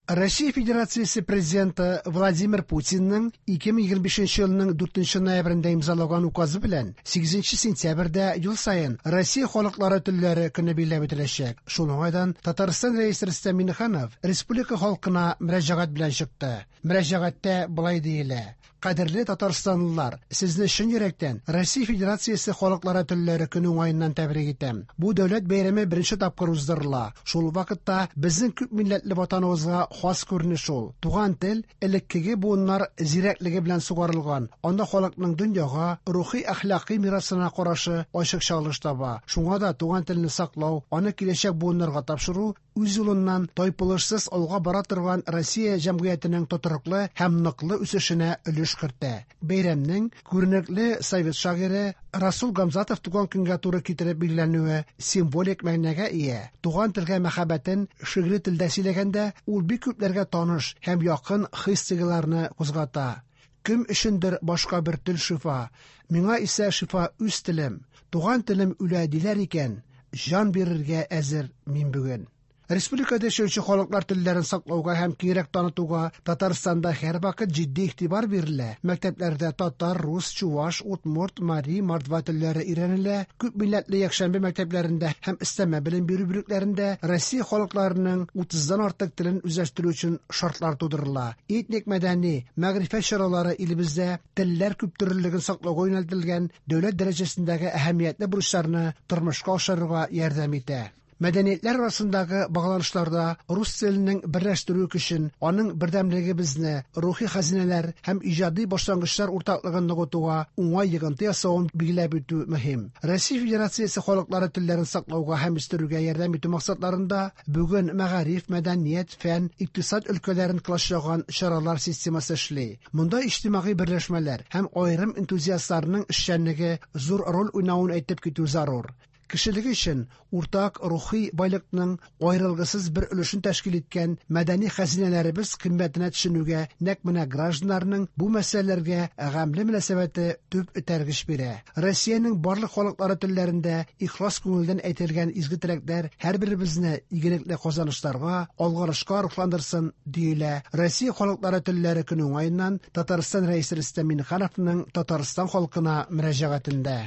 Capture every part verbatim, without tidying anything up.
Россия Федерациясе Президенты Владимир Путинның ике мең егерме бишенче елның дүртенче ноябрендә имзалаган указы белән сигезенче сентябрьдә ел саен Россия халыклары телләре көне билгеләп үтеләчәк. Шул уңайдан Татарстан Рәисе Рөстәм Миңнеханов республика халкына мөрәҗәгать белән чыкты. Мөрәҗәгатьтә болай диелә: Кадерле татарстанлылар, сезне чын йөрәктән Россия Федерациясе халыклары телләре көне уңаеннан тәбрик итәм. Бу дәүләт бәйрәме беренче тапкыр уздырыла. Шул вакытта безнең күп милләтле ватаныбызга хас күренеш ул. Туган тел элеккеге буыннар зирәклеге белән сугарылган. Анда халыкның дөньяга, рухи әхлакый мирасына карашы ачык чагылыш таба. Шуңа да туган телне саклау, аны киләчәк буыннарга тапшыру үз юлыннан тайпылышсыз алга бара торган Россия җәмгыятенең тотрыклы һәм ныклы үсешенә өлеш кертә. Бәйрәмнең күренекле совет шагыйре Расул Гамзатов туган көнгә туры китереп билгеләнүе символик мәгънәгә ия. Туган телгә мәхәббәтен шигъри телдә сөйләгәндә ул бик күпләргә таныш һәм якын хис-тойгыларны кузгата. Кем өчендер башка бер тел шифа, миңа исә шифа үз телем. Туган телем үлә диләр икән, җан бирергә әзер мин бүген. Республикада яшәүче халыклар телләрен саклауга һәм киңрәк танытуга Татарстанда һәрвакыт җитди игътибар бирелә. Мәктәпләрдә татар, рус, чуваш, удмурт, мари, мордва телләре өйрәнелә. Күп милләтле якшәмбе мәктәпләрендә һәм өстәмә белем бирү бүлекләрендә Россия халыкларының утыздан артык телен үзләштерү өчен шартлар тудырыла. Этник мәдәни, мәгърифәт чаралары илебездә телләр күптөрлелеген саклауга юнәлтелгән дәүләт дәрәҗәсендәге әһәмиятле бурычларны тормышка ашырырга ярдәм итә. Мәдәниятләр арасындагы багланышларда рус теленең берләштерү көчен, аның бердәмлегебезне, рухи хәзинәләр һәм иҗади башлангычлар уртаклыгын ныгытуга уңай йогынты ясавын билгеләп үтү мөһим. Россия Федерациясе халыклары телләрен саклауга һәм үстерүгә ярдәм итү максатларында бүген мәгариф, мәдәният, фән, икътисад өлкәләрен колачлаган чаралар системасы эшли. Монда иҗтимагый берләшмәләр һәм аерым энтузиастларның эшчәнлеге зур роль уйнавын әйтеп китү зарур. Кешелек өчен уртак рухи байлыкның аерылгысыз бер өлешен тәшкил иткән мәдәни хәзинәләребез кыйммәтенә төшенүгә нәкъ менә гражданнарның бу мәсьәләләргә гамьле мөнәсәбәте төп этәргеч бирә. Россиянең барлык халыклары телләрендә ихлас күңелдән әйтелгән изге теләкләр һәрберебезне игелекле казанышларга, алгарышка рухландырсын, диелә Россия халыклары телләре көне уңаеннан Татарстан Рәисе Рөстәм Миңнехановның Татарстан халкына мөрәҗәгатендә.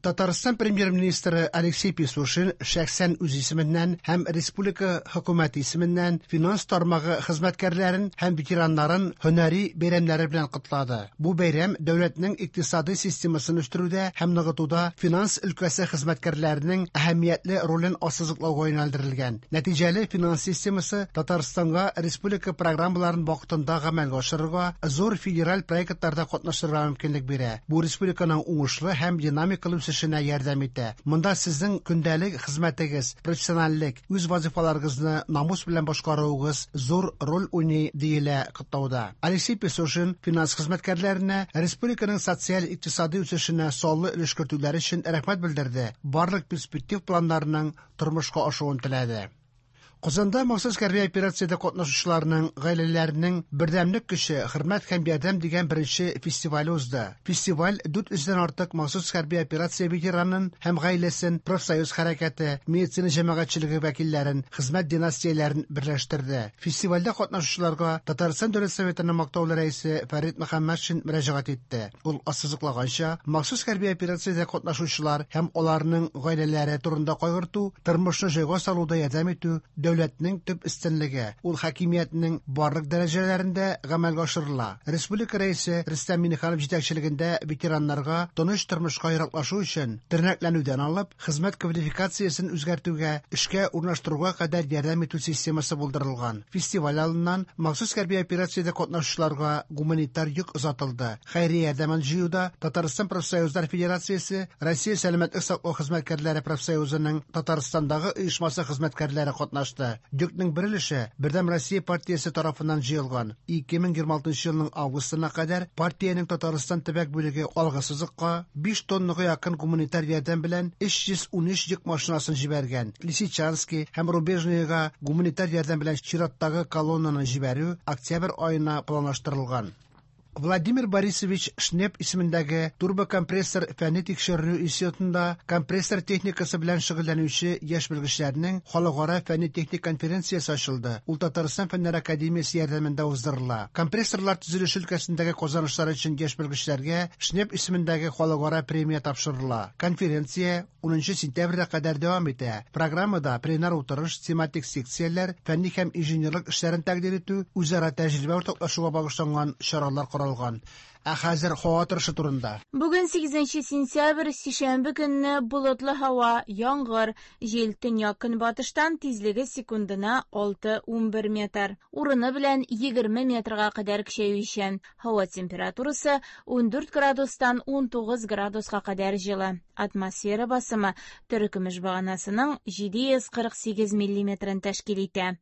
Татарстан премьер-министры Алексей Песошин шәхсән үз исеменнән һәм республика хөкүмәте исеменнән финанс тармагы хезмәткәрләрен һәм ветераннарын һөнәри бәйрәмнәре белән котлады. Бу бәйрәм дәүләтнең икътисади системасын үстерүдә һәм ныгытуда финанс өлкәсе хезмәткәрләренең әһәмиятле ролен ассызыклауга юнәлдерелгән. Нәтиҗәле финанс системасы Татарстанга республика программаларын вакытында гамәлгә ашырырга, зур федераль проектларда катнашырга мөмкинлек бирә. Бу республиканың уңышлы һәм динамикалы үсешенә ярдәм итә. Монда сезнең көндәлек хезмәтегез, профессиональлек, үз вазифаларыгызны намус белән башкаруыгыз зур роль уйный, диелә котлауда. Алексей Песошин финанс хезмәткәрләренә республиканың социаль-икътисади үсешенә саллы өлеш кертүләре өчен рәхмәт белдерде. Барлык перспектив планнарының тормышка ашуын теләде. Казанда махсус хәрби операциядә катнашучыларның гаиләләренең бердәмлек көче, хөрмәт һәм ярдәм дигән беренче фестивале узды. Фестиваль дүрт йөздән артык махсус хәрби операция ветеранын һәм гаиләсен, профсоюз хәрәкәте, медицина җәмәгатьчелеге вәкилләрен, хезмәт династияләрен берләштерде. Фестивальдә катнашучыларга Татарстан Дәүләт Советының мактаулы рәисе Фәрит Мөхәммәтшин мөрәҗәгать итте. Ул ассызыклаганча, махсус хәрби операциядә катнашучылар һәм аларның гаиләләре турында кайгырту, тормышны җайга салуда ярдәм итү дәүләтнең төп өстенлеге, ул хакимиятнең барлык дәрәҗәләрендә гамәлгә ашырыла. Республика рәисе Рөстәм Миңнеханов җитәкчелегендә ветераннарга тыныч тормышка яраклашу өчен тернәкләнүдән алып, хезмәт квалификациясен үзгәртүгә, эшкә урнаштыруга кадәр ярдәм итү системасы булдырылган. Фестиваль алдыннан махсус хәрби операциядә катнашучыларга гуманитар йөк озатылды. Хәйрия ярдәмен җыюда Татарстан Профсоюзлар Федерациясе, Россия Сәламәтлек саклау хезмәткәрләре профсоюзының Татарстандагы оешмасы хезмәткәрләре катнашты. Йөкнең бер өлеше Бердәм Россия партиясе тарафыннан җыелган. ике мең егерме алтынчы елның августына кадәр партиянең Татарстан төбәк бүлеге алгы сызыкка биш тоннага якын гуманитар ярдәм белән өч йөз унөч йөк машинасын җибәргән. Лисичанский һәм Рубежныйга гуманитар ярдәм белән чираттагы колоннаны җибәрү октябрь аена планлаштырылган. Владимир Борисович Шнеп исемендәге турбокомпрессор фәнни тикшеренү институтында компрессор техникасы белән шөгыльләнүче яшь белгечләрнең халыкара фәнни-техник конференциясе ачылды. Ул Татарстан Фәннәр академиясе ярдәмендә уздырыла. Компрессорлар төзелеше өлкәсендәге казанышлар өчен яшь белгечләргә Шнеп исемендәге халыкара премия тапшырыла. Конференция унынчы сентябрьгә кадәр дәвам итә. Программада пленар утырыш, тематик секцияләр, фәнни һәм инженерлык эшләрен тәкъдир итү, үзара тәҗрибә уртаклашуга багышланган чаралар каралган. Ә хәзер һава торышы турында. Бүген сигезенче сентябрь, сишәмбе көнне болытлы һава, яңгыр, җил төньяк-көнбатыштан, тизлеге секундына алты-унбер метр. Урыны белән егерме метрга кадәр көчәючән. Һава температурасы ундүрт градустан унтугыз градуска кадәр җылы. Атмосфера басымы терекөмеш баганасының җиде йөз кырык сигез миллиметрын тәшкил итә.